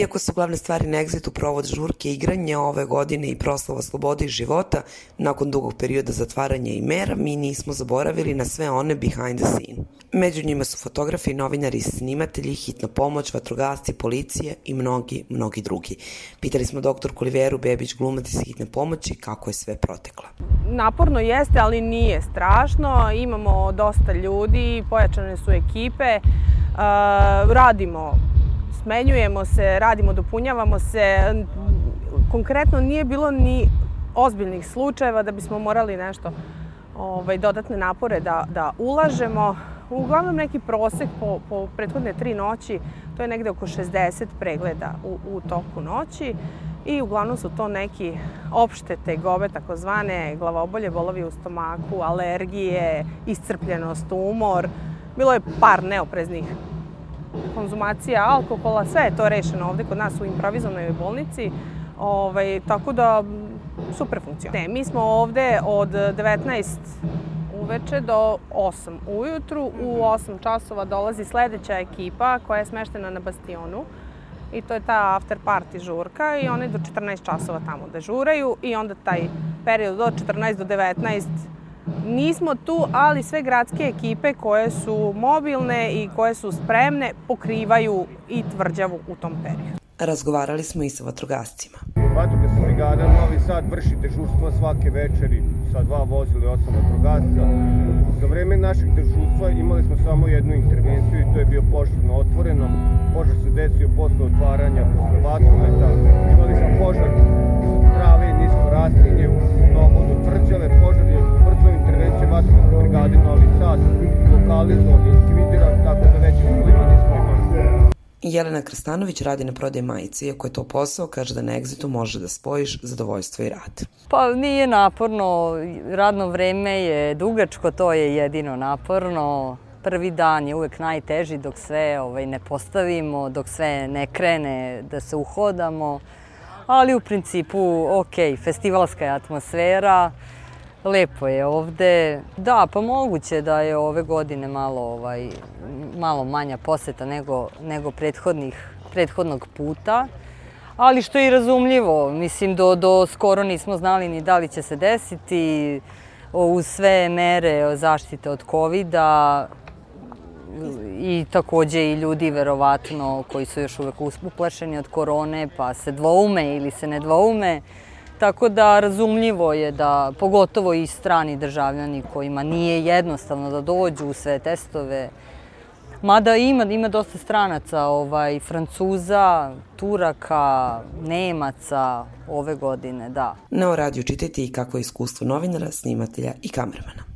Iako su glavne stvari na Exitu provod žurke, igranje ove godine i proslava slobode i života, nakon dugog perioda zatvaranja i mera, mi nismo zaboravili na sve one behind the scene. Među njima su fotografi, novinari, snimatelji, hitna pomoć, vatrogasci, policije i mnogi drugi. Pitali smo doktorku Oliveru Bebić, glumac iz hitne pomoći, kako je sve proteklo. Naporno jeste, ali nije strašno. Imamo dosta ljudi, pojačane su ekipe, radimo, smenjujemo se, radimo, dopunjavamo se. Konkretno nije bilo ni ozbiljnih slučajeva da bismo morali nešto dodatne napore da ulažemo. Uglavnom neki prosek po prethodne 3 noći, to je negde oko 60 pregleda u toku noći i uglavnom su to neki opšte tegobe, takozvane glavobolje, bolovi u stomaku, alergije, iscrpljenost, umor. Bilo je par neopreznih konzumacija alkohola, sve je to rešeno ovde kod nas u improvizovanoj bolnici, tako da super funkcionira. Mi smo ovde od 19 uveče do 8 ujutru. U 8 časova dolazi sledeća ekipa koja je smeštena na Bastionu i to je ta after party žurka i oni do 14 časova tamo dežuraju i onda taj period od 14 do 19 nismo tu, ali sve gradske ekipe koje su mobilne i koje su spremne pokrivaju i tvrđavu u tom periodu. Razgovarali smo i sa vatrogascima. Vatrogasna brigada Novi Sad vrši dežurstvo svake večeri sa 2 vozila i 8 vatrogasca. Za vreme našeg dežurstva imali smo samo jednu intervenciju i to je bio požar na otvorenom. Požar se desio posle otvaranja vatrometa. Imali smo požar trave i nisko rastinje na obodu tvrđave. Požar je brzo intervencije vatrogasne brigade Novi Sad lokalizovan i likvidiran, tako da veći problema nismo imali. Jelena Krstanović radi na prodaji majice, iako je to posao, kaže da na Exitu može da spojiš zadovoljstvo i rad. Pa nije naporno, radno vreme je dugačko, to je jedino naporno. Prvi dan je uvek najteži dok sve ne postavimo, dok sve ne krene da se uhodamo, ali u principu ok, festivalska je atmosfera, lepo je ovde. Da, pa moguće da je ove godine malo manja poseta nego prethodnog puta, ali što je i razumljivo. Mislim, do skoro nismo znali ni da li će se desiti. Uz sve mere zaštite od COVID-a i takođe i ljudi verovatno koji su još uvek uplašeni od korone pa se dvoume ili se ne dvoume. Tako da razumljivo je da, pogotovo i strani državljani kojima nije jednostavno da dođu u sve testove, mada ima dosta stranaca, Francuza, Turaka, Nemaca ove godine, da. Na O radiju čitajte i kako je iskustvo novinara, snimatelja i kamermana.